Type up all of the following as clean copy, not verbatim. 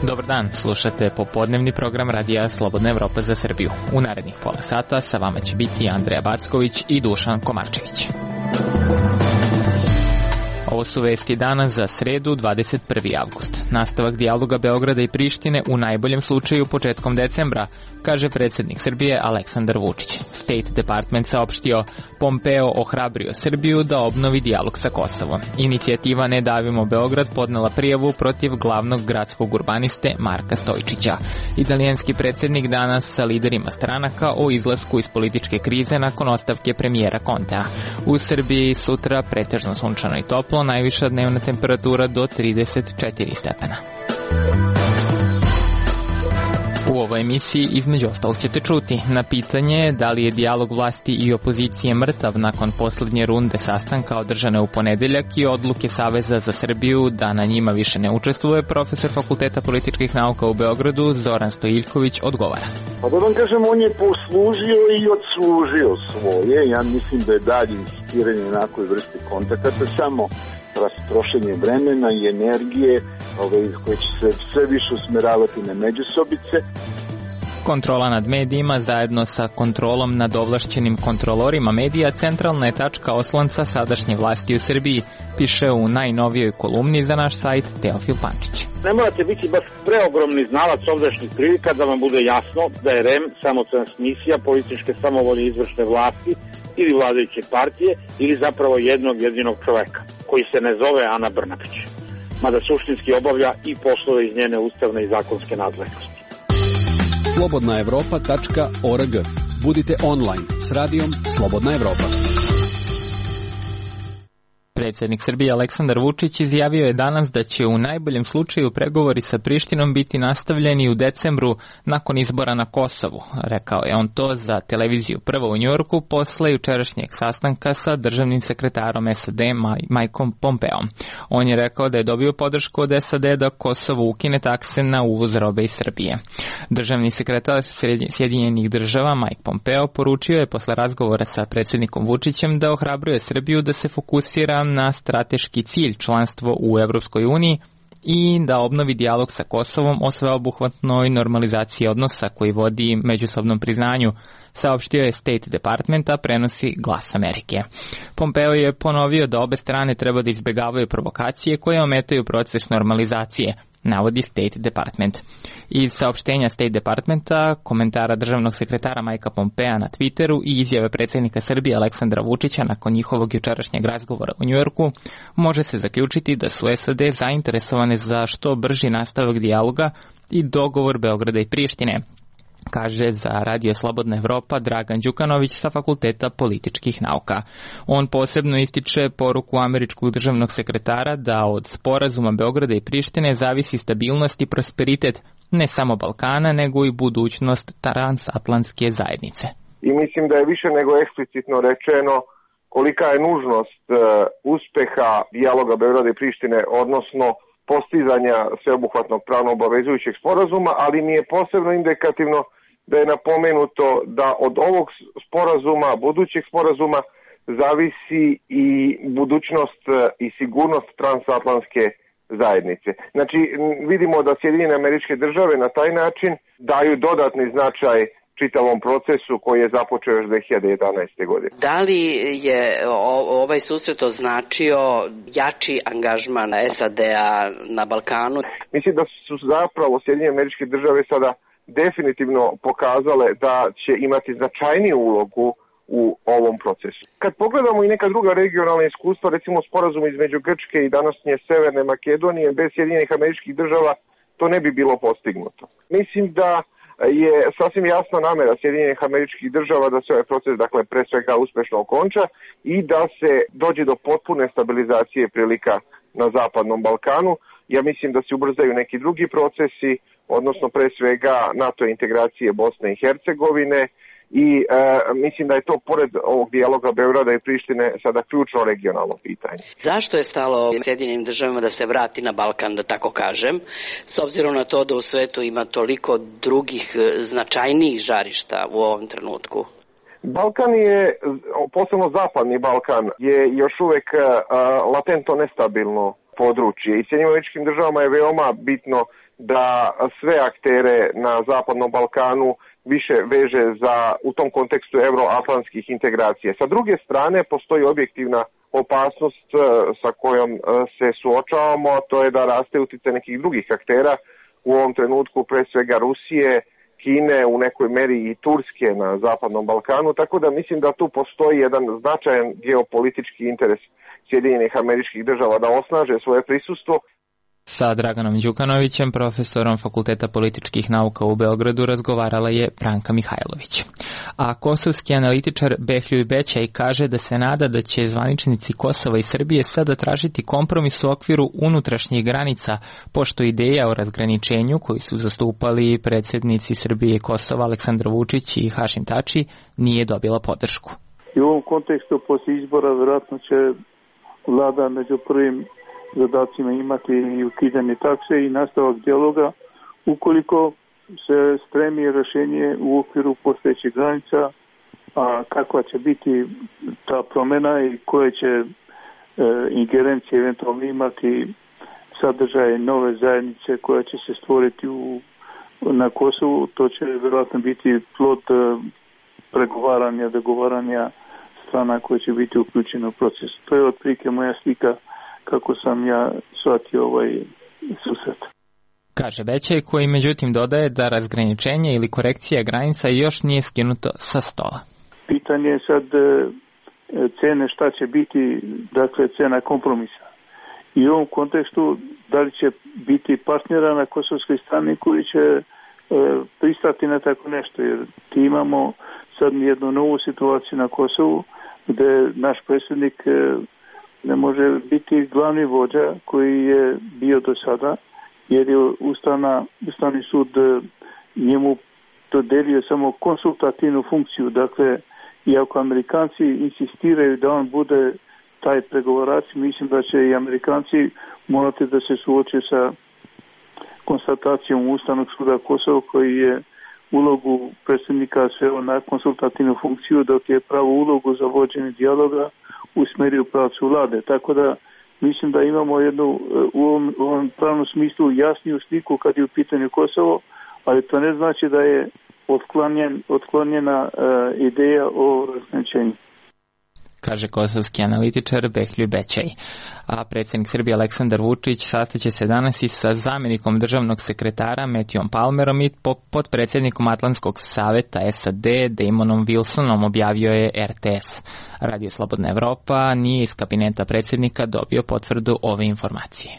Dobar dan, slušate popodnevni program Radija Slobodna Evropa za Srbiju. U narednih pola sata sa vama će biti Andreja Backović i Dušan Komarčević. Ovo su vesti dana za sredu 21. avgust. Nastavak dijaloga Beograda i Prištine u najboljem slučaju početkom decembra, kaže predsjednik Srbije Aleksandar Vučić. State Department saopštio, Pompeo ohrabrio Srbiju da obnovi dijalog sa Kosovom. Inicijativa Ne davimo Beograd podnela prijavu protiv glavnog gradskog urbaniste Marka Stojčića. Italijanski predsjednik danas sa liderima stranaka o izlasku iz političke krize nakon ostavke premijera Contea. U Srbiji sutra pretežno sunčano i toplo, najviša dnevna temperatura do 34 stepena. U ovoj emisiji između ostalog ćete čuti na pitanje da li je dijalog vlasti i opozicije mrtav nakon posljednje runde sastanka održane u ponedeljak i odluke Saveza za Srbiju da na njima više ne učestvuje, profesor Fakulteta političkih nauka u Beogradu Zoran Stojiljković odgovara. Pa da vam kažem, on je poslužio i odslužio svoje. Ja mislim da je dalje insistiranje na nekoj vrsti kontakata samo rastrošenje vremena i energije koje će se sve više usmeravati na međusobice. Kontrola nad medijima zajedno sa kontrolom nad ovlašćenim kontrolorima medija centralna je tačka oslonca sadašnje vlasti u Srbiji, piše u najnovijoj kolumni za naš sajt Teofil Pančić. Ne morate biti baš preogromni znalac ovdašnjih prilika da vam bude jasno da je REM samo transmisija političke samovolje izvršne vlasti ili vladajuće partije ili zapravo jednog jedinog čoveka koji se ne zove Ana Brnabić, mada suštinski obavlja i poslove iz njene ustavne i zakonske nadležnosti. slobodnaevropa.org. Budite online s radijom Slobodna Evropa. Predsjednik Srbije Aleksandar Vučić izjavio je danas da će u najboljem slučaju pregovori sa Prištinom biti nastavljeni u decembru nakon izbora na Kosovu. Rekao je on to za televiziju Prvo u Njujorku posle jučerašnjeg sastanka sa državnim sekretarom SAD Mikeom Pompeom. On je rekao da je dobio podršku od SAD da Kosovo ukine takse na uvoz robe iz Srbije. Državni sekretar Sjedinjenih država Mike Pompeo poručio je posle razgovora sa predsjednikom Vučićem da ohrabruje Srbiju da se fokusira na strateški cilj članstvo u Evropskoj uniji i da obnovi dijalog sa Kosovom o sveobuhvatnoj normalizaciji odnosa koji vodi međusobnom priznanju, saopštio je State Department, a prenosi Glas Amerike. Pompeo je ponovio da obe strane treba da izbjegavaju provokacije koje ometaju proces normalizacije, navodi State Department. Iz saopštenja State Departmenta, komentara državnog sekretara Majka Pompea na Twitteru i izjave predsjednika Srbije Aleksandra Vučića nakon njihovog jučerašnjeg razgovora u Njujorku, može se zaključiti da su SAD zainteresovane za što brži nastavak dijaloga i dogovor Beograda i Prištine, kaže za Radio Slobodna Evropa Dragan Đukanović sa Fakulteta političkih nauka. On posebno ističe poruku američkog državnog sekretara da od sporazuma Beograda i Prištine zavisi stabilnost i prosperitet ne samo Balkana, nego i budućnost transatlantske zajednice. I mislim da je više nego eksplicitno rečeno kolika je nužnost uspeha dijaloga Beograda i Prištine, odnosno postizanja sveobuhvatnog pravno obavezujućeg sporazuma, ali mi je posebno indikativno da je napomenuto da od ovog sporazuma, budućeg sporazuma, zavisi i budućnost i sigurnost transatlantske zajednice. Znači, vidimo da Sjedinjene Američke Države na taj način daju dodatni značaj čitavom procesu koji je započeo još 2011. godine. Da li je ovaj susret označio jači angažman SAD-a na Balkanu? Mislim da su zapravo Sjedinjene Američke Države sada definitivno pokazale da će imati značajniju ulogu u ovom procesu. Kad pogledamo i neka druga regionalna iskustva, recimo sporazum između Grčke i današnje Severne Makedonije, bez Sjedinjenih Američkih Država to ne bi bilo postignuto. Mislim da je sasvim jasna namera Sjedinjenih Američkih Država da se ovaj proces, dakle, pre svega uspešno okonča i da se dođe do potpune stabilizacije prilika na Zapadnom Balkanu. Ja mislim da se ubrzaju neki drugi procesi, odnosno pre svega NATO integracije Bosne i Hercegovine i mislim da je to pored ovog dijaloga Beograda i Prištine sada ključno regionalno pitanje. Zašto je stalo Sjedinjenim državama da se vrati na Balkan, da tako kažem, s obzirom na to da u svetu ima toliko drugih značajnijih žarišta u ovom trenutku? Balkan je, posebno zapadni Balkan, je još uvek latentno nestabilno područje i Sjedinjenim državama je veoma bitno da sve aktere na zapadnom Balkanu više veže u tom kontekstu euroatlantskih integracija. Sa druge strane, postoji objektivna opasnost sa kojom se suočavamo, a to je da raste uticaj nekih drugih aktera, u ovom trenutku pre svega Rusije, Kine, u nekoj meri i Turske na zapadnom Balkanu, tako da mislim da tu postoji jedan značajan geopolitički interes Sjedinjenih Američkih Država da osnaže svoje prisustvo. Sa Draganom Đukanovićem, profesorom Fakulteta političkih nauka u Beogradu, razgovarala je Branka Mihajlović. A kosovski analitičar Behljuj Bećaj kaže da se nada da će zvaničnici Kosova i Srbije sada tražiti kompromis u okviru unutrašnjih granica, pošto ideja o razgraničenju koju su zastupali predsjednici Srbije i Kosova Aleksandar Vučić i Hašim Tači nije dobila podršku. I u ovom kontekstu poslije izbora vjerojatno će vlada među prvim zadacima imati i ukidanje takse i nastavak dijaloga ukoliko se stremi rješenje u okviru postojećih granica, a kakva će biti ta promjena i koje će ingerencije eventualno imati sadržaje nove zajednice koja će se stvoriti na Kosovu, to će vjerojatno biti plod pregovaranja, dogovaranja strana koje će biti uključene u proces. To je otprilike moja slika kako sam ja shvatio ovaj susret. Kaže Bećaj, koji međutim dodaje da razgraničenje ili korekcija granica još nije skinuto sa stola. Pitanje je sad cene šta će biti, dakle cena kompromisa. I u ovom kontekstu da li će biti partnera na kosovskoj strani koji će pristati na tako nešto, jer ti imamo sad jednu novu situaciju na Kosovu gdje naš predsjednik ne može biti glavni vođa koji je bio do sada, jer je Ustavni sud njemu dodelio samo konsultativnu funkciju. Dakle, i ako Amerikanci insistiraju da on bude taj pregovarač, mislim da će i Amerikanci morati da se suoče sa konstatacijom Ustavnog suda Kosova koji je ulogu predsjednika sveo na konsultativnu funkciju, dok je pravu ulogu za vođenje dijaloga usmjerio u pravcu vlade. Tako da mislim da imamo jednu u ovom pravnom smislu jasniju sliku kad je u pitanju Kosovo, ali to ne znači da je otklonjena ideja o razgraničenju. Kaže kosovski analitičar Behljuj Bećaj. A predsjednik Srbije Aleksandar Vučić sastaće se danas i sa zamjenikom državnog sekretara Matthewom Palmerom i potpredsjednikom Atlantskog saveta SAD Damonom Wilsonom, objavio je RTS. Radio Slobodna Evropa nije iz kabineta predsjednika dobio potvrdu ove informacije.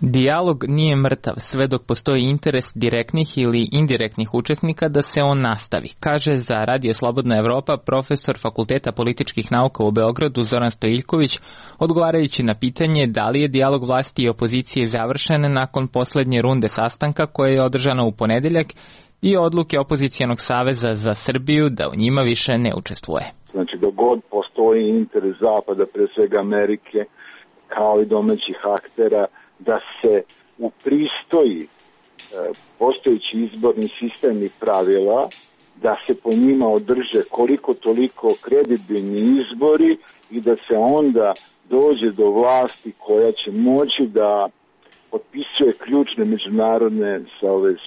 Dijalog nije mrtav sve dok postoji interes direktnih ili indirektnih učesnika da se on nastavi, kaže za Radio Slobodna Evropa profesor Fakulteta političkih nauka u Beogradu Zoran Stojiljković, odgovarajući na pitanje da li je dijalog vlasti i opozicije završen nakon posljednje runde sastanka koja je održana u ponedeljak i odluke Opozicijonog saveza za Srbiju da u njima više ne učestvuje. Znači, dok god postoji interes Zapada, pre svega Amerike, kao i domaćih aktera, da se upristoji postojeći izborni sistem i pravila, da se po njima održe koliko toliko kredibilni izbori i da se onda dođe do vlasti koja će moći da potpisuje ključne međunarodne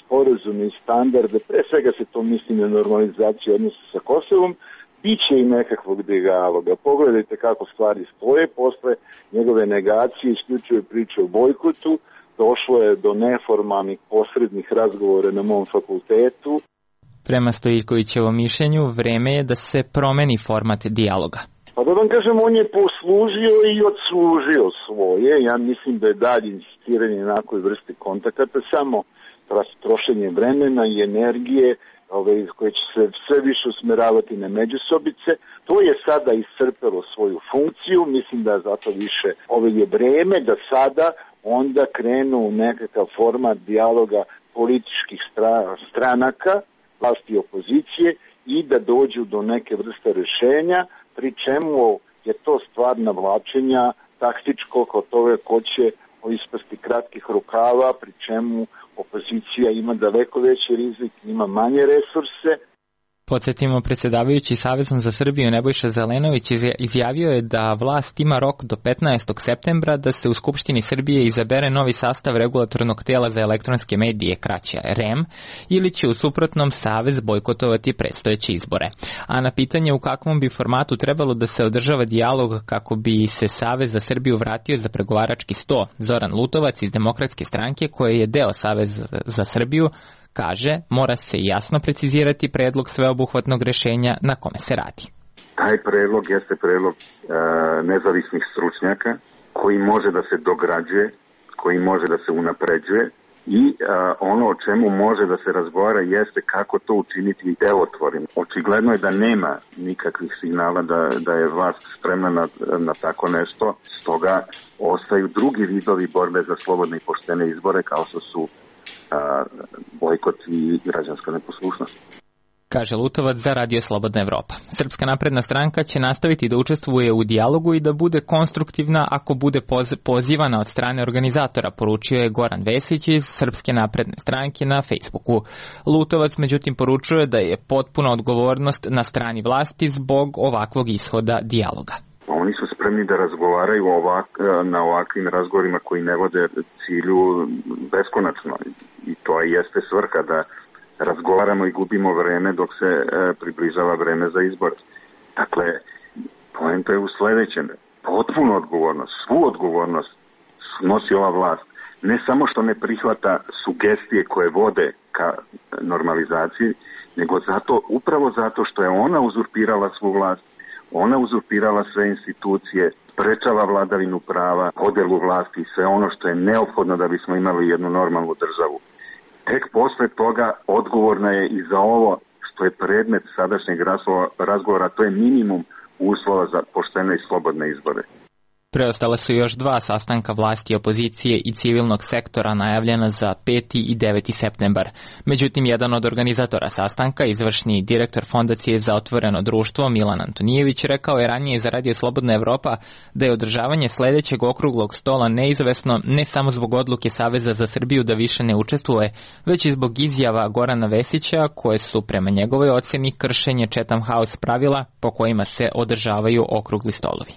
sporazume i standarde, pre svega se to misli na normalizaciju odnosa sa Kosovom, biće i nekakvog dijaloga. Pogledajte kako stvari stoje, posle njegove negacije isključuje priče o bojkotu, došlo je do neformalnih posrednih razgovora na mom fakultetu. Prema Stojiljkovićevom mišljenju, vreme je da se promeni format dijaloga. Pa da vam kažem, on je poslužio i odslužio svoje. Ja mislim da je dalje insistiranje na nekoj vrsti kontakata samo trošenje vremena i energije koje će se sve više usmeravati na međusobice. To je sada iscrpelo svoju funkciju, mislim da zato više je vreme da sada onda krenu u nekakav format dijaloga političkih stranaka, vlasti i opozicije i da dođu do neke vrste rješenja, pri čemu je to stvar navlačenja taktičkog od toga ko će ispasti kratkih rukava, pri čemu opozicija ima daleko veći rizik, ima manje resurse. Podsjetimo, predsjedavajući Savezom za Srbiju Nebojša Zelenović izjavio je da vlast ima rok do 15. septembra da se u Skupštini Srbije izabere novi sastav regulatornog tijela za elektronske medije, kraće REM, ili će u suprotnom Savez bojkotovati predstojeće izbore. A na pitanje u kakvom bi formatu trebalo da se održava dijalog kako bi se Savez za Srbiju vratio za pregovarački sto, Zoran Lutovac iz Demokratske stranke, koje je deo Saveza za Srbiju, kaže, mora se jasno precizirati predlog sveobuhvatnog rješenja na kome se radi. Taj predlog jeste predlog nezavisnih stručnjaka koji može da se dograđuje, koji može da se unapređuje i ono o čemu može da se razgovara jeste kako to učiniti delotvornim. Očigledno je da nema nikakvih signala da je vlast spremna na tako nešto, stoga ostaju drugi vidovi borbe za slobodne i poštene izbore kao što su bojkot i građanska neposlušnost. Kaže Lutovac za Radio Slobodna Evropa. Srpska napredna stranka će nastaviti da učestvuje u dijalogu i da bude konstruktivna ako bude pozivana od strane organizatora, poručio je Goran Vesić iz Srpske napredne stranke na Facebooku. Lutovac međutim poručuje da je potpuna odgovornost na strani vlasti zbog ovakvog ishoda dijaloga. Oni su spremni da razgovaraju na ovakvim razgovorima koji ne vode cilju beskonačno i to jeste svrha da razgovaramo i gubimo vreme dok se približava vreme za izbor. Dakle, poenta je u sledećem. Potpunu odgovornost, svu odgovornost nosi ova vlast. Ne samo što ne prihvata sugestije koje vode ka normalizaciji, nego upravo zato što je ona uzurpirala svu vlast, ona uzurpirala sve institucije, sprečava vladavinu prava, podelu vlasti i sve ono što je neophodno da bismo imali jednu normalnu državu. Tek posle toga odgovorna je i za ovo što je predmet sadašnjeg razgovora, to je minimum uslova za poštene i slobodne izbore. Preostala su još 2 sastanka vlasti, opozicije i civilnog sektora najavljena za 5. i 9. septembar. Međutim, jedan od organizatora sastanka, izvršni direktor Fondacije za otvoreno društvo Milan Antonijević, rekao je ranije za Radio Slobodna Evropa da je održavanje sledećeg okruglog stola neizvesno ne samo zbog odluke Saveza za Srbiju da više ne učestvuje, već i zbog izjava Gorana Vesića koje su prema njegovoj ocjeni kršenje Chatham House pravila po kojima se održavaju okrugli stolovi.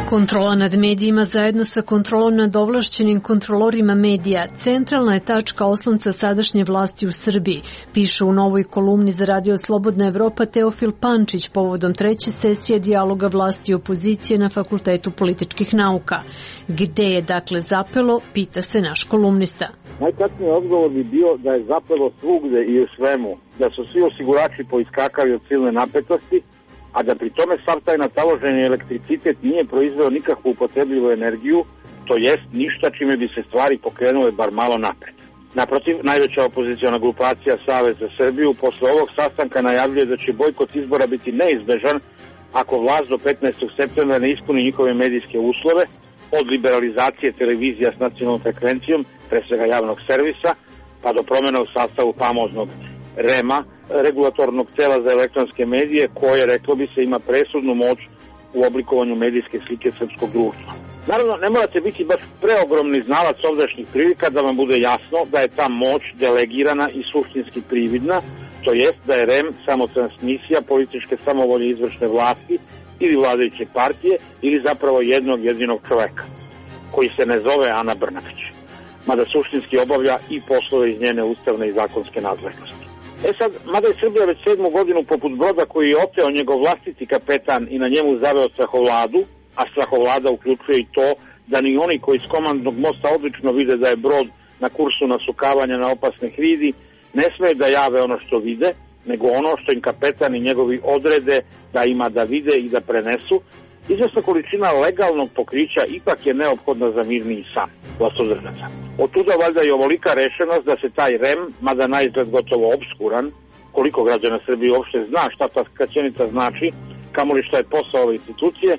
Kontrola nad medijima zajedno sa kontrolom nad ovlašćenim kontrolorima medija centralna je tačka oslonca sadašnje vlasti u Srbiji, piše u novoj kolumni za Radio Slobodna Evropa Teofil Pančić povodom 3. sesije dijaloga vlasti i opozicije na Fakultetu političkih nauka. Gde je dakle zapelo, pita se naš kolumnista. Najkratniji odgovor bi bio da je zapelo svugde i u svemu, da su svi osigurači poiskakali od silne napetosti, a da pri tome sav taj nataloženi elektricitet nije proizveo nikakvu upotrebljivu energiju, to jest ništa čime bi se stvari pokrenule bar malo napred. Naprotiv, najveća opoziciona grupacija Savez za Srbiju posle ovog sastanka najavljuje da će bojkot izbora biti neizbežan ako vlast do 15. septembra ne ispuni njihove medijske uslove, od liberalizacije televizija s nacionalnom frekvencijom, pre svega javnog servisa, pa do promjena u sastavu famoznog REM-a, regulatornog tela za elektronske medije, koje, reklo bi se, ima presudnu moć u oblikovanju medijske slike srpskog društva. Naravno, ne morate biti baš preogromni znalac ovdašnjih prilika da vam bude jasno da je ta moć delegirana i suštinski prividna, to jest da je REM samo transmisija političke samovolje izvršne vlasti ili vladajuće partije ili zapravo jednog jedinog čoveka, koji se ne zove Ana Brnabić, mada suštinski obavlja i poslove iz njene ustavne i zakonske nadležnosti. Sad, mada je Srbija već 7. godinu poput broda koji je oteo njegov vlastiti kapetan i na njemu zaveo strahovladu, a strahovlada uključuje i to da ni oni koji s komandnog mosta odlično vide da je brod na kursu nasukavanja na opasne hridi, ne smeju da jave ono što vide, nego ono što im kapetan i njegovi odrede da ima da vide i da prenesu. Izvesna količina legalnog pokrića ipak je neophodna za mirniji san vlastodržaca. Od tuda valjda i ovolika rešenost da se taj REM, mada naizgled gotovo obskuran, koliko građana Srbije uopšte zna šta ta skraćenica znači, kamoli šta je posao ove institucije,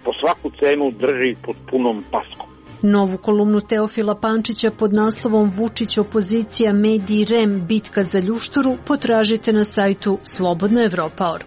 po svaku cenu drži pod punom paskom. Novu kolumnu Teofila Pančića pod naslovom Vučić opozicija mediji REM bitka za ljušturu potražite na sajtu slobodnaevropa.org.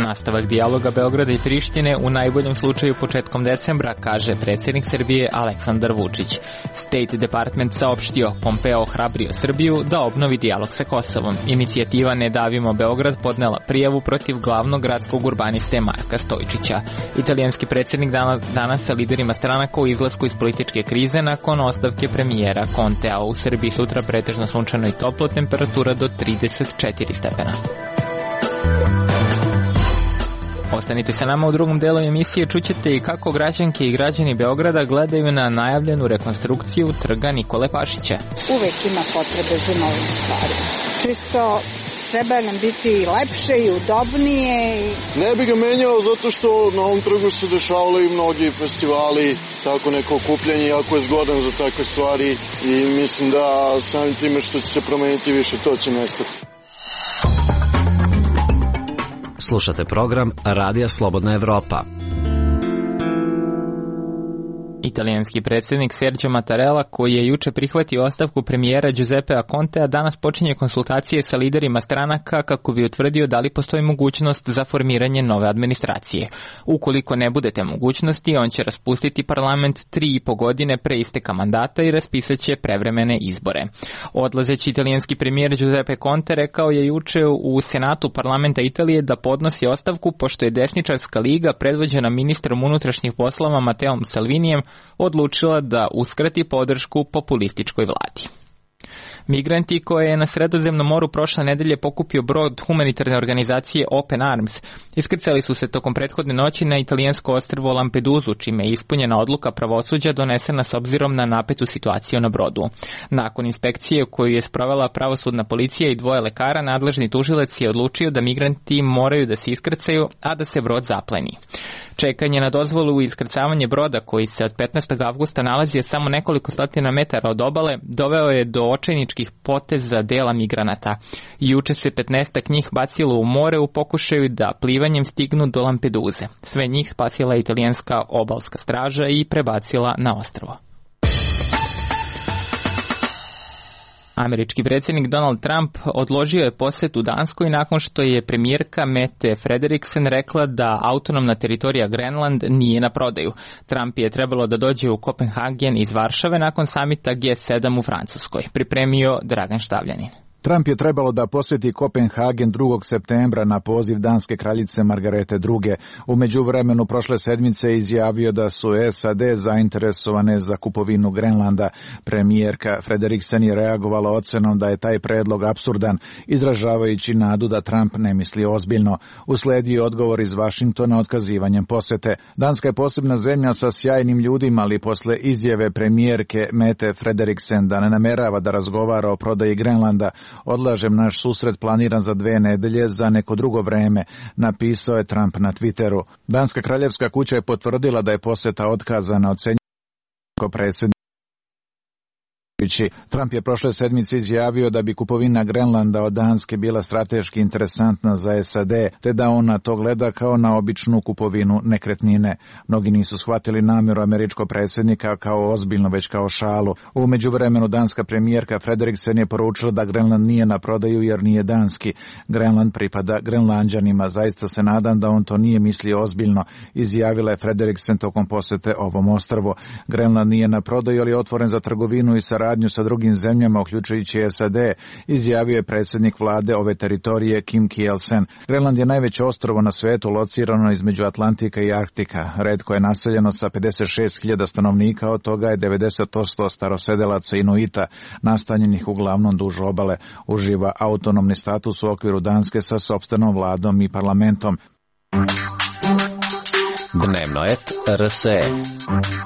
Nastavak dijaloga Beograda i Prištine u najboljem slučaju početkom decembra, kaže predsjednik Srbije Aleksandar Vučić. State Department saopštio, Pompeo ohrabrio Srbiju da obnovi dijalog sa Kosovom. Inicijativa Ne davimo Beograd podnela prijavu protiv glavnog gradskog urbaniste Marka Stojčića. Italijanski predsjednik danas sa liderima stranaka u izlasku iz političke krize nakon ostavke premijera Contea. U Srbiji sutra pretežno sunčano i toplo, temperatura do 34 stepena. Ostanite sa nama u drugom delu emisije, čućete i kako građanke i građani Beograda gledaju na najavljenu rekonstrukciju trga Nikole Pašića. Uvek ima potrebe za novim stvarima. Čisto treba nam biti lepše i udobnije. Ne bi ga menjao zato što na ovom trgu se dešavali mnogi festivali, tako neko okupljanje, jako je zgodan za takve stvari i mislim da samim time što će se promeniti više, to će nestati. Slušate program Radija Slobodna Evropa. Italijanski predsjednik Sergio Mattarella, koji je juče prihvatio ostavku premijera Giuseppea Contea, danas počinje konsultacije sa liderima stranaka kako bi utvrdio da li postoji mogućnost za formiranje nove administracije. Ukoliko ne bude te mogućnosti, on će raspustiti parlament 3,5 godine pre isteka mandata i raspisat će prevremene izbore. Odlazeći italijanski premijer Giuseppe Conte rekao je juče u Senatu parlamenta Italije da podnosi ostavku pošto je desničarska liga predvođena ministrom unutrašnjih poslova Matteom Salvinijem odlučila da uskrati podršku populističkoj vladi. Migranti koje je na Sredozemnom moru prošle nedelje pokupio brod humanitarne organizacije Open Arms iskrcali su se tokom prethodne noći na italijansko ostrvo Lampedusu, čime je ispunjena odluka pravosuđa donesena s obzirom na napetu situaciju na brodu. Nakon inspekcije koju je sprovela pravosudna policija i 2 lekara, nadležni tužilac je odlučio da migranti moraju da se iskrcaju, a da se brod zapleni. Čekanje na dozvolu i iskrcavanje broda, koji se od 15. avgusta nalazi samo nekoliko stotina metara od obale, doveo je do očajničkih poteza dela migranata. Juče se 15 njih bacilo u more u pokušaju da plivanjem stignu do Lampeduze. Sve njih spasila italijanska obalska straža i prebacila na ostrvo. Američki predsjednik Donald Trump odložio je posjet u Danskoj nakon što je premijerka Mette Frederiksen rekla da autonomna teritorija Grenland nije na prodaju. Trump je trebalo da dođe u Kopenhagen iz Varšave nakon samita G7 u Francuskoj. Pripremio Dragan Štavljanin. Trump je trebalo da posjeti Kopenhagen 2. septembra na poziv danske kraljice Margarete II. U međuvremenu prošle sedmice izjavio da su SAD zainteresovane za kupovinu Grenlanda. Premijerka Frederiksen je reagovala ocenom da je taj predlog apsurdan, izražavajući nadu da Trump ne misli ozbiljno. Usledio odgovor iz Vašingtona otkazivanjem posete. Danska je posebna zemlja sa sjajnim ljudima, ali posle izjave premijerke Mette Frederiksen da ne namerava da razgovara o prodaji Grenlanda, odlažem naš susret planiran za 2 nedelje za neko drugo vreme, napisao je Trump na Twitteru. Danska kraljevska kuća je potvrdila da je poseta otkazana, ocenjuje predsjednik. Trump je prošle sedmice izjavio da bi kupovina Grenlanda od Danske bila strateški interesantna za SAD, te da on na to gleda kao na običnu kupovinu nekretnine. Mnogi nisu shvatili namjeru američkog predsjednika kao ozbiljno, već kao šalu. U međuvremenu danska premijerka Frederiksen je poručila da Grenland nije na prodaju jer nije danski. Grenland pripada Grenlanđanima. Zaista se nadam da on to nije mislio ozbiljno, izjavila je Frederiksen tokom posete ovom ostrvu. Grenland nije na prodaju, ali je otvoren za trgovinu i saradnju sa drugim zemljama, uključujući SAD, izjavio je predsjednik vlade ove teritorije Kim Kielsen. Grenland je najveće ostrvo na svetu, locirano između Atlantika i Arktika. Retko je naseljeno sa 56.000 stanovnika, od toga je 90% starosedelaca Inuita, nastanjenih uglavnom duž obale. Uživa autonomni status u okviru Danske sa sopstvenom vladom i parlamentom. Dnevno et RSE.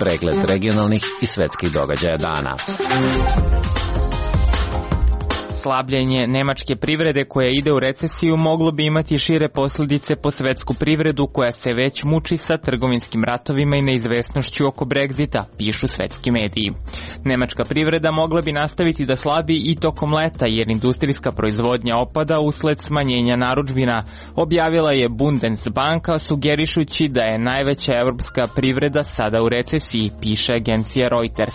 Pregled regionalnih i svetskih događaja dana. Slabljenje nemačke privrede koja ide u recesiju moglo bi imati šire posljedice po svetsku privredu koja se već muči sa trgovinskim ratovima i neizvesnošću oko Brexita, pišu svetski mediji. Nemačka privreda mogla bi nastaviti da slabi i tokom leta jer industrijska proizvodnja opada usled smanjenja narudžbina, objavila je Bundesbanka sugerišući da je najveća evropska privreda sada u recesiji, piše agencija Reuters.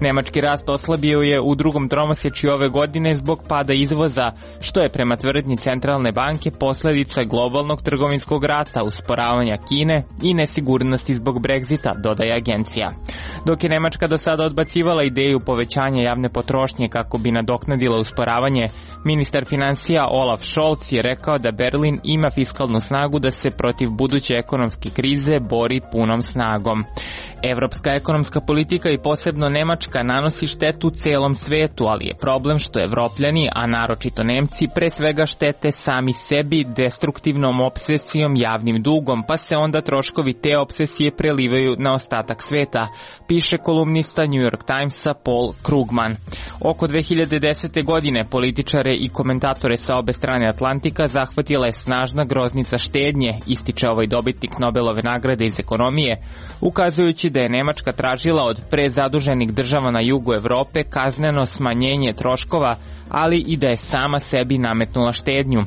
Nemački rast oslabio je u drugom tromesečju ove godine zbog pada izvoza, što je prema tvrdnji centralne banke posljedica globalnog trgovinskog rata, usporavanja Kine i nesigurnosti zbog Brexita, dodaje agencija. Dok je Nemačka do sada odbacivala ideju povećanja javne potrošnje kako bi nadoknadila usporavanje, ministar financija Olaf Scholz je rekao da Berlin ima fiskalnu snagu da se protiv buduće ekonomske krize bori punom snagom. Evropska ekonomska politika i posebno Nemačka nanosi štetu celom svetu, ali je problem što Evropljani, a naročito Nemci, pre svega štete sami sebi destruktivnom obsesijom javnim dugom, pa se onda troškovi te obsesije prelivaju na ostatak sveta, piše kolumnista New York Timesa Paul Krugman. Oko 2010. godine političare i komentatore sa obe strane Atlantika zahvatila je snažna groznica štednje, ističe ovaj dobitnik Nobelove nagrade iz ekonomije, ukazujući da je Nemačka tražila od prezaduženih država na jugu Evrope kazneno smanjenje troškova, ali i da je sama sebi nametnula štednju.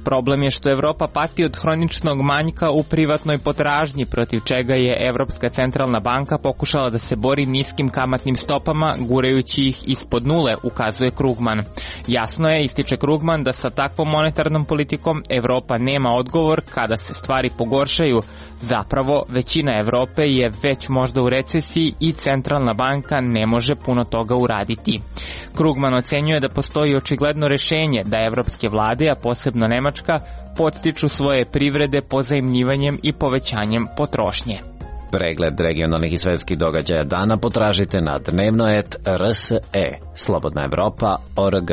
Problem je što Evropa pati od hroničnog manjka u privatnoj potražnji, protiv čega je Evropska centralna banka pokušala da se bori niskim kamatnim stopama, gurajući ih ispod nule, ukazuje Krugman. Jasno je, ističe Krugman, da sa takvom monetarnom politikom Evropa nema odgovor kada se stvari pogoršaju. Zapravo, većina Evrope je već možda u recesiji i centralna banka ne može puno toga uraditi. Krugman ocenjuje da postoji očigledno rešenje da evropske vlade, a posebno Nemačka, podstiču svoje privrede pozajmljivanjem i povećanjem potrošnje. Pregled regionalnih i svetskih događaja dana potražite na dnevnoet.rse, slobodnaevropa.org.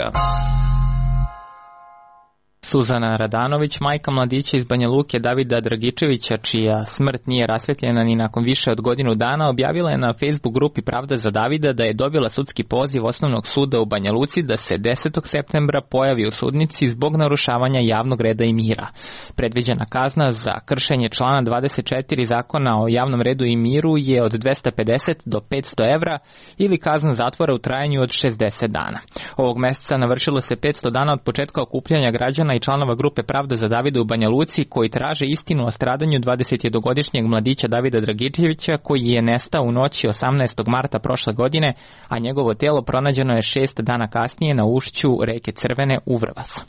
Suzana Radanović, majka mladića iz Banja Luke Davida Dragičevića, čija smrt nije rasvetljena ni nakon više od godinu dana, objavila je na Facebook grupi Pravda za Davida da je dobila sudski poziv Osnovnog suda u Banja Luci da se 10. septembra pojavi u sudnici zbog narušavanja javnog reda i mira. Predviđena kazna za kršenje člana 24 zakona o javnom redu i miru je od 250 do 500 evra ili kazna zatvora u trajanju od 60 dana. Ovog meseca navršilo se 500 dana od početka okupljanja građana i članova grupe Pravda za Davida u Banja Luci koji traže istinu o stradanju 21-godišnjeg mladića Davida Dragičevića koji je nestao u noći 18. marta prošle godine, a njegovo telo pronađeno je 6 dana kasnije na ušću reke Crvene u Vrbasu.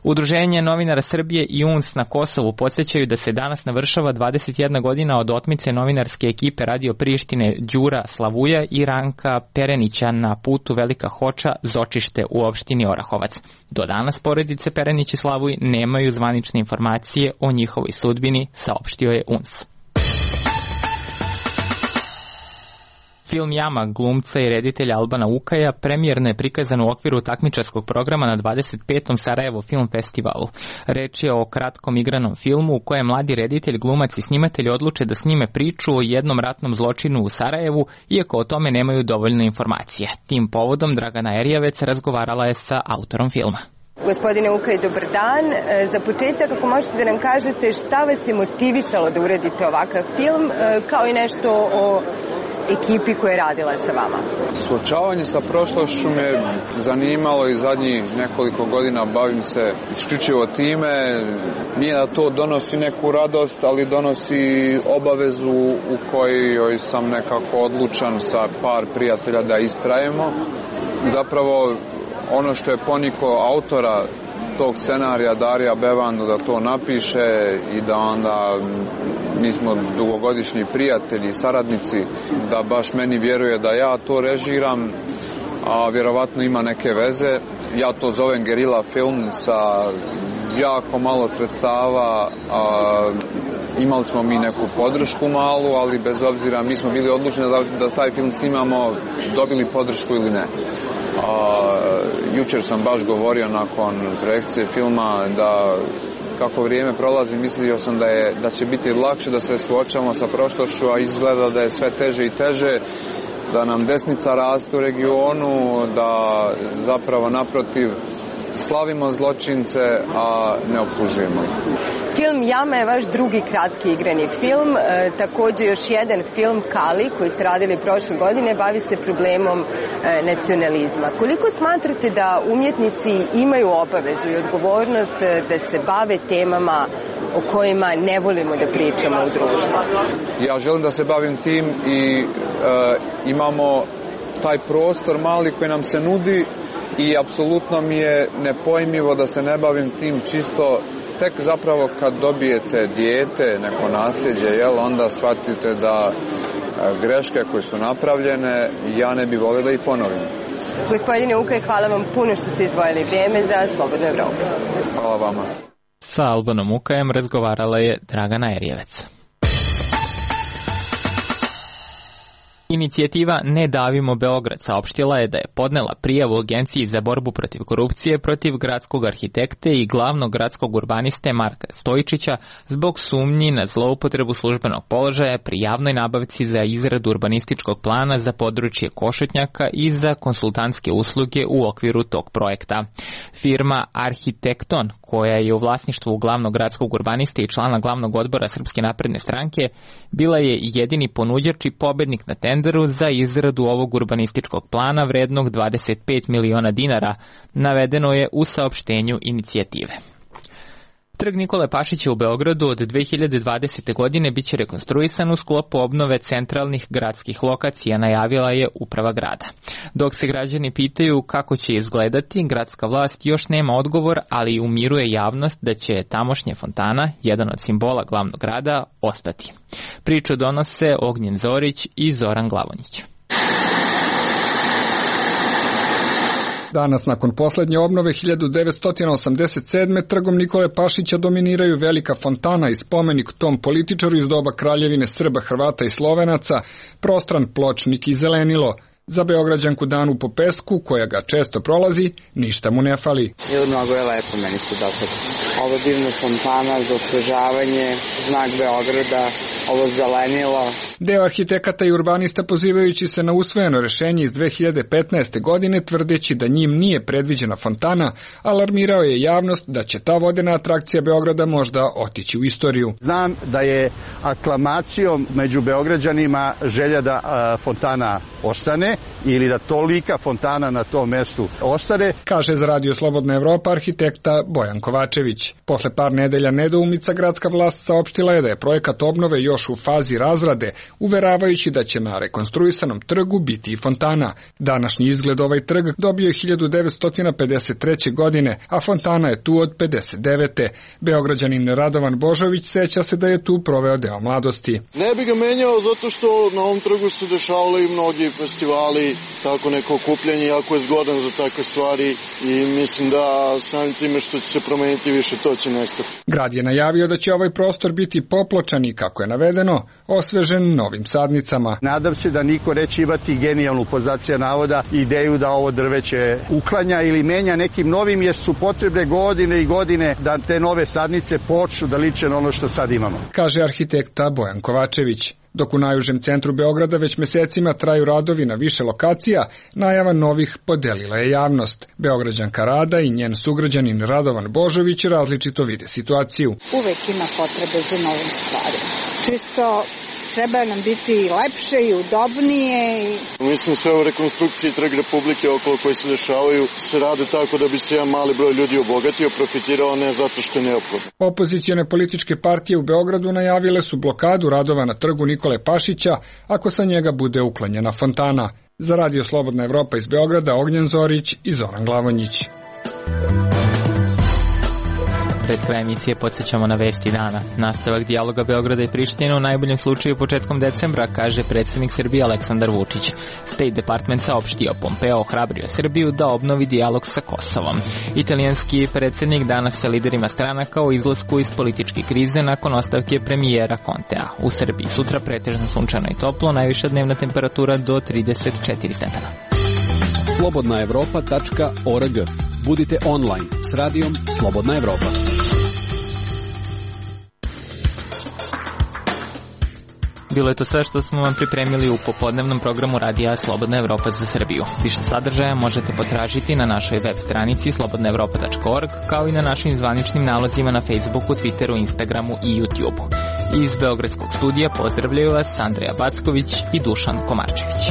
Udruženje novinara Srbije i UNS na Kosovu podsjećaju da se danas navršava 21 godina od otmice novinarske ekipe Radio Prištine Đura Slavuja i Ranka Perenića na putu Velika Hoča Zočište u opštini Orahovac. Do danas porodice Perenić i Slavuj nemaju zvanične informacije o njihovoj sudbini, saopštio je UNS. Film Jama glumca i reditelja Albana Ukaja premijerno je prikazan u okviru takmičarskog programa na 25. Sarajevo Film Festivalu. Reč je o kratkom igranom filmu u kojem mladi reditelj, glumac i snimatelj odluče da snime priču o jednom ratnom zločinu u Sarajevu, iako o tome nemaju dovoljno informacije. Tim povodom Dragana Erjavec razgovarala je sa autorom filma. Gospodine Ukaj, dobar dan. Za početak, ako možete da nam kažete šta vas je motivisalo da uradite ovakav film, kao i nešto o ekipi koja je radila sa vama. Suočavanje sa prošlošću me zanimalo i zadnjih nekoliko godina bavim se isključivo time. Nije da to donosi neku radost, ali donosi obavezu u kojoj sam nekako odlučan sa par prijatelja da istrajemo. Zapravo, ono što je poniko autora tog scenarija Darija Bevandu da to napiše i da onda mi smo dugogodišnji prijatelji i saradnici, da baš meni vjeruje da ja to režiram, a vjerovatno ima neke veze. Ja to zovem gerila film sa jako malo sredstava, imali smo mi neku podršku malu, ali bez obzira mi smo bili odlučeni da taj film snimamo, dobili podršku ili ne. Jučer sam baš govorio nakon projekcije filma da kako vrijeme prolazi mislio sam da će biti lakše da se suočavamo sa prošlošću, a izgleda da je sve teže i teže da nam desnica raste u regionu, da zapravo naprotiv slavimo zločince, a ne optužujemo. Film Jama je vaš drugi kratki igrani film, takođe još jedan film Kali koji ste radili prošle godine bavi se problemom nacionalizma. Koliko smatrate da umjetnici imaju obavezu i odgovornost da se bave temama o kojima ne volimo da pričamo u društvu? Ja želim da se bavim tim i imamo taj prostor mali koji nam se nudi i apsolutno mi je nepojmljivo da se ne bavim tim, čisto tek zapravo kad dobijete dijete, neko nasljeđe, onda shvatite da greške koje su napravljene, ja ne bih volio da ih ponovim. Gospodine Ukaj, hvala vam puno što ste izdvojili vrijeme za Slobodnu Evropu. Hvala vama. Sa Albanom Ukajem razgovarala je Dragana Erjevec. Inicijativa Ne davimo Beograd saopštila je da je podnela prijavu Agenciji za borbu protiv korupcije protiv gradskog arhitekte i glavnog gradskog urbaniste Marka Stojičića zbog sumnji na zloupotrebu službenog položaja pri javnoj nabavci za izradu urbanističkog plana za područje Košutnjaka i za konsultantske usluge u okviru tog projekta. Firma Arhitekton, koja je u vlasništvu glavnog gradskog urbaniste i člana glavnog odbora Srpske napredne stranke, bila je jedini ponuđač i pobednik na tenderu za izradu ovog urbanističkog plana vrednog 25 miliona dinara, navedeno je u saopštenju inicijative. Trg Nikole Pašića u Beogradu od 2020. godine biće rekonstruisan u sklopu obnove centralnih gradskih lokacija, najavila je uprava grada. Dok se građani pitaju kako će izgledati, gradska vlast još nema odgovor, ali umiruje javnost da će tamošnja fontana, jedan od simbola glavnog grada, ostati. Priču donose Ognjen Zorić i Zoran Glavonjić. Danas, nakon poslednje obnove 1987. trgom Nikole Pašića dominiraju velika fontana i spomenik tom političaru iz doba Kraljevine Srba, Hrvata i Slovenaca, prostran pločnik i zelenilo. Za Beograđanku Danu Popesku, koja ga često prolazi, ništa mu ne fali. Mnogo je lepo, meni se dopada. Ovo divna fontana za osvežavanje, znak Beograda, ovo zelenilo. Deo arhitekata i urbanista, pozivajući se na usvojeno rešenje iz 2015. godine, tvrdeći da njim nije predviđena fontana, alarmirao je javnost da će ta vodena atrakcija Beograda možda otići u istoriju. Znam da je aklamacijom među Beograđanima želja da fontana ostane, ili da tolika fontana na tom mestu ostane, kaže za Radio Slobodna Evropa arhitekta Bojan Kovačević. Posle par nedelja nedoumica, gradska vlast saopštila je da je projekat obnove još u fazi razrade, uveravajući da će na rekonstruisanom trgu biti i fontana. Današnji izgled ovaj trg dobio je 1953. godine, a fontana je tu od 59. Beograđanin Radovan Božović seća se da je tu proveo deo mladosti. Ne bi ga menjao zato što na ovom trgu se dešavali mnogi festivali, tako neko okupljanje, jako je zgodan za takve stvari i mislim da samim time što će se promeniti više, to će nestati. Grad je najavio da će ovaj prostor biti popločan i, kako je navedeno, osvežen novim sadnicama. Nadam se da niko neće imati genijalnu, poznacija navoda, ideju da ovo drveće uklanja ili menja nekim novim, jer su potrebne godine i godine da te nove sadnice počnu da liče na ono što sad imamo, kaže arhitekta Bojan Kovačević. Dok u najužem centru Beograda već mesecima traju radovi na više lokacija, najava novih podelila je javnost. Beograđanka Rada i njen sugrađanin Radovan Božović različito vide situaciju. Uvek ima potrebe za novim stvarima. Čisto treba nam biti lepše i udobnije. Mislim, sve u rekonstrukciji Trg Republike okolo koji se dešavaju se rade tako da bi se jedan mali broj ljudi obogatio, profitirao, ne zato što je neophodno. Opozicione političke partije u Beogradu najavile su blokadu radova na trgu Nikole Pašića ako sa njega bude uklanjena fontana. Za Radio Slobodna Evropa iz Beograda, Ognjen Zorić i Zoran Glavonjić. Pred kraj emisije podsjećamo na vesti dana. Nastavak dijaloga Beograda i Prištine u najboljem slučaju početkom decembra, kaže predsjednik Srbije Aleksandar Vučić. State Department saopštio, Pompeo ohrabrio Srbiju da obnovi dijalog sa Kosovom. Italijanski predsjednik danas sa liderima stranaka o izlasku iz političke krize nakon ostavke premijera Contea. U Srbiji sutra pretežno sunčano i toplo, najviša dnevna temperatura do 34 stepena. slobodnaevropa.org. Budite online s radijom Slobodna Evropa. Bilo je to sve što smo vam pripremili u popodnevnom programu radija Slobodna Evropa za Srbiju. Više sadržaja možete potražiti na našoj web stranici slobodnaevropa.org, kao i na našim zvaničnim nalozima na Facebooku, Twitteru, Instagramu i YouTubeu. Iz Beogradskog studija pozdravljaju vas Andreja Backović i Dušan Komarčević.